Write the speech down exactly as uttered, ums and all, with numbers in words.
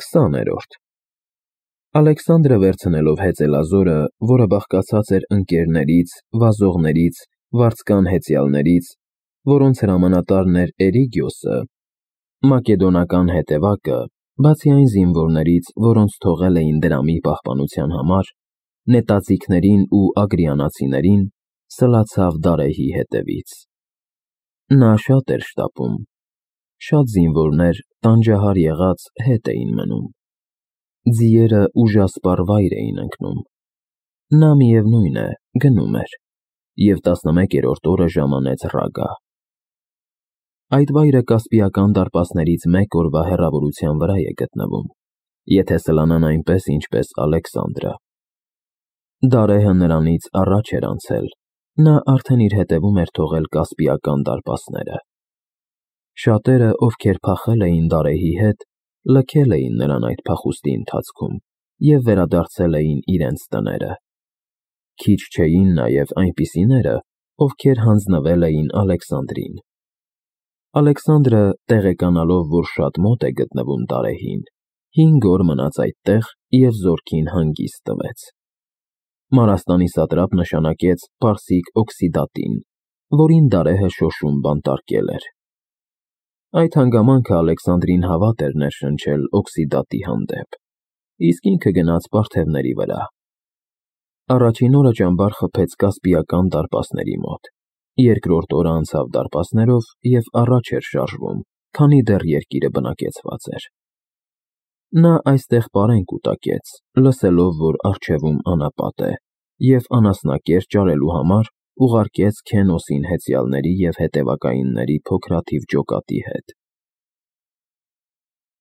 քսաներորդ Ալեքսանդրը վերցնելով հեծելազորը, որը բաղկացած էր ընկերներից, վազողներից, վարձկան հեծյալներից, որոնց հրամանատարն էր Էրիգիոսը, մակեդոնական հետևակը, բացի այն զինվորներից, որոնց թողել էին դրամի պահպանության համար, նետաձիգներին ու ագրիանացիներին, սլացավ Դարեհի հետևից։ Նա շատ էր շտապում, շատ զինվորներ տանջահար եղած հետ էին մնում։ Ձիերը ուժասպառ վայր էին ընկնում։ Նա, միևնույն է, գնում էր և տասնմեկերորդ օրը ժամանեց Ռագա։ Այդ վայրը Կասպիական դարպասներից մեկ օրվա հեռավորության վրա է գտնվում, եթե սլանան այնպես, ինչպես Ալեքսանդրը։ Դարեհը նրանից առաջ էր անցել, նա արդեն իր հետևում էր թողել Կասպիական դարպասները։ Շատերը, ովքեր փախել էին Դարեհի հետ, լքել էին նրան այդ փախուստի ընթացքում և վերադարձել էին իրենց տները։ Քիչ չէին նաև այնպիսիները, ովքեր հանձնվել էին Ալեքսանդրին։ Ալեքսանդրը, տեղեկանալով, որ շատ մոտ է գտնվում Դարեհին, հինգ օր մնաց այդտեղ և զորքին հանգիստ տվեց։ Մարաստանի սատրապ նշանակեց պարսիկ Օքսիդատին, որին Դարեհը շոշում բանտարկել էր։ Այդ հանգամանքը Ալեքսանդրին հավատ էր ներշնչել Օքսիդատի հանդեպ, իսկ ինքը գնաց պարթևների վրա։ Առաջին օրը ճամբար խփեց Կասպիական դարպասների մոտ, երկրորդ օրը անցավ դարպասներով և առաջ էր շարժվում, քանի դեռ երկիրը բնակեցված էր։ Նա այստեղ պարեն կուտակեց, լսելով, որ առջևում անապատ է, և անասնակեր ճարելու համար ուղարկեց Քենոսին հեծյալների և հետևակայինների փոքրաթիվ ջոկատի հետ։